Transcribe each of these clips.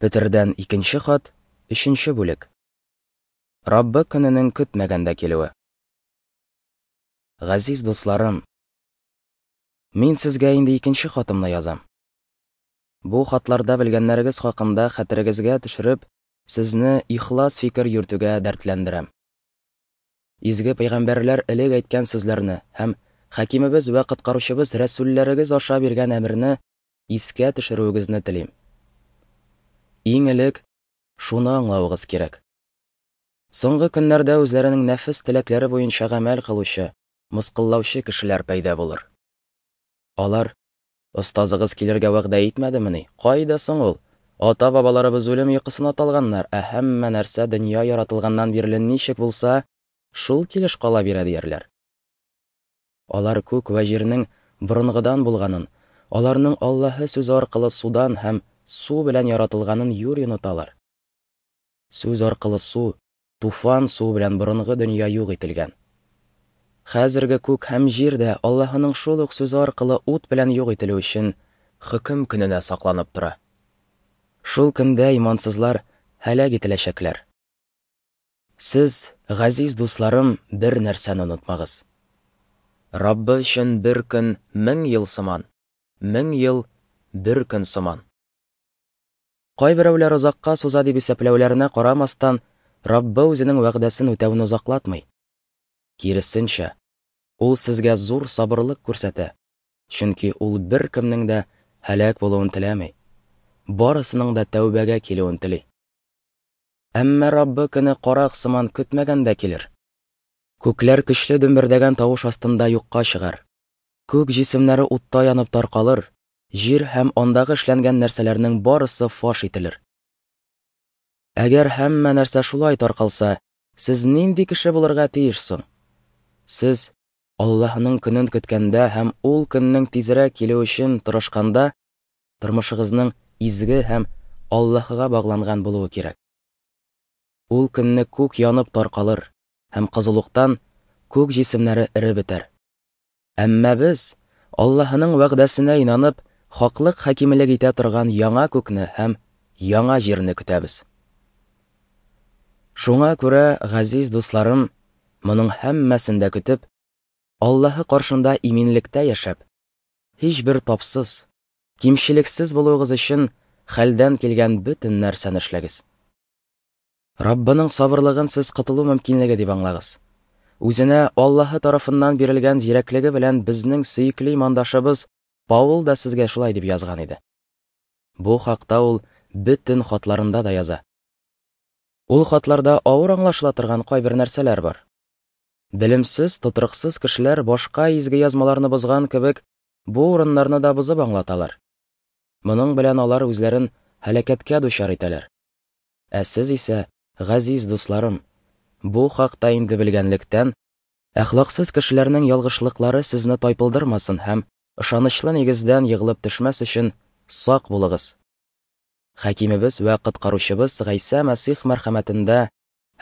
Петердән икенче хат, өченче бүлек. Раббы көненең көтмәгәндә килүе. Газиз дусларым, мин сезгә инде икенче хатымны язам. Бу хатларда белгәннәрегез хакында хәтерегезгә төшереп, сезне ихлас фикер йөртүгә дәртләндерәм. Изге пәйгамбәрләр элек әйткән сүзләрне һәм Хакимебез вә Коткаручыбыз рәсүлләрегез аша биргән әмерне искә төшерүегезне телим. Иң элек шуны аңлавыгыз кирәк. Соңгы көннәрдә үзләренең нәфес теләкләре буенча гамәл кылучы, мыскыллаучы кешеләр пәйда булыр. Алар, Остазыгыз килергә вәгъдә итмәдемени? Кайда соң ул? Ата-бабаларыбыз үлем йокысына талганнар, ә һәммә нәрсә дөнья яратылганнан бирле ничек булса, шул килеш кала бирә, диярләр. Алар күк вә җирнең борынгыдан булганын, аларның Аллаһы сүзе аркылы судан һәм су белән яратылганын юри оныталар. Сүз аркылы су, туфан суы белән борынгы дөнья юк ителгән. Хәзерге күк һәм җир дә Аллаһының шул ук сүзе аркылы ут белән юк ителү өчен хөкем көненә сакланып тора. Шул көндә имансызлар һәлак ителәчәкләр. Сез, газиз дусларым, бер нәрсәне онытмагыз. Раббы өчен бер көн 1000 ел сыман, 1000 ел бер көн сыман. Кайберәүләр озакка суза дип исәпләүләренә карамастан, Раббы үзенең вәгъдәсен үтәүне озаклатмый. Киресенчә, ул сезгә зур сабырлык күрсәтә, чөнки ул беркемнең дә һәлак булуын теләми, барысының да тәүбәгә килүен тели. Әмма Раббы көне карак сыман көтмәгәндә килер. Күкләр көчле дөмбердәгән тавыш астында юкка чыгар. Күк җисемнәре утта янып таркалыр, җир һәм андагы эшләнгән нәрсәләрнең барысы фаш ителер. Әгәр һәммә нәрсә шулай таркалса, сез нинди кеше булырга тиеш соң? Сез Аллаһының көнен көткәндә һәм ул көннең тизрәк килүе өчен тырышканда, тормышыгызның изге һәм Аллаһыга багланган булуы кирәк. Ул көнне күк янып таркалыр һәм кызулыктан күк җисемнәре эреп бетәр. Әмма без, Аллаһының вәгъдәсенә инанып, хаклык хакимлек итә торган яңа күкне һәм яңа җирне көтәбез. Шуңа күрә, газиз дусларым, моның һәммәсен дә көтеп, Аллаһы каршында иминлектә яшәп, һичбер тапсыз, кимчелексез булуыгыз өчен хәлдән килгән бөтен нәрсәне эшләгез. Раббының сабырлыгын сез котылу мөмкинлеге дип аңлагыз. Үзенә Аллаһы тарафыннан бирелгән зирәклеге белән безнең сөекле имандашыбыз Паул да сезгә шулай дип язган иде. Бу хакта ул бөтен хатларында да яза. Ул хатларда авыр аңлашыла торган кайбер нәрсәләр бар. Белемсез, тотрыксыз кешеләр башка изге язмаларны бозган кебек, бу урыннарны да бозып аңлаталар. Моның белән алар үзләрен һәлакәткә дучар итәләр. Ә сез исә, газиз дусларым, бу хакта инде белгәнлектән, әхлаксыз кешеләрнең ялгышлыклары сезне тайпылдырмасын һәм ышанычлы нигездән егылып төшмәс өчен сак булыгыз. Хакимебез вә Коткаручыбыз Гайсә Мәсих мәрхәмәтендә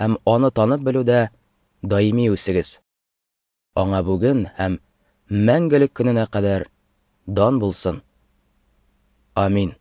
һәм аны танып белүдә даими үсегез. Аңа бүген һәм мәңгелек көненә кадәр дан булсын. Амин.